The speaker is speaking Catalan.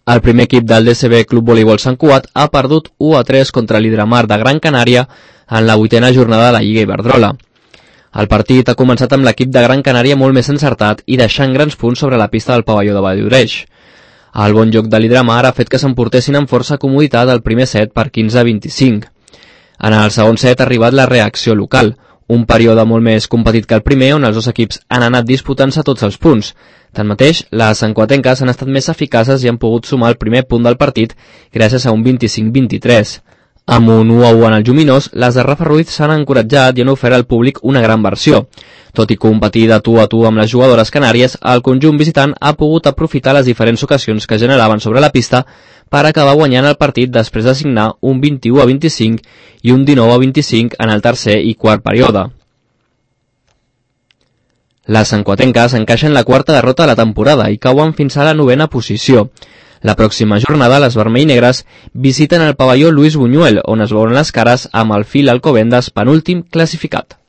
El primer equip del DCB Club Voleibol Sant Cugat ha perdut 1-3 contra l'Hidramar de Gran Canària en la 8a jornada de la Lliga Iberdrola. El partit ha començat amb l'equip de Gran Canària molt més encertat i deixant grans punts sobre la pista del pavelló de Valldoreix. El bon joc de l'Hidramar ha fet que s'emportessin amb força comoditat el primer set per 15-25. En el segon set ha arribat la reacció local, un període molt més competit que el primer on els dos equips han anat disputant-se tots els punts. Tanmateix, les santcuatenques han estat més eficaces i han pogut sumar el primer punt del partit gràcies a un 25-23. Amb un 1-1 en el Lluminós, les de Rafa Ruiz s'han encoratjat i han ofert al públic una gran versió. Tot i competir de tu a tu amb les jugadores canàries, el conjunt visitant ha pogut aprofitar les diferents ocasions que generaven sobre la pista per acabar guanyant el partit després de signar un 21-25 i un 19-25 en el tercer i quart període. Les santcuatenques encaixen la quarta derrota de la temporada i cauen fins a la 9a posició. La pròxima jornada, les vermell-negres visiten el pavelló Lluís Buñuel, on es veuran les cares amb el Fil Alcobendas, penúltim classificat.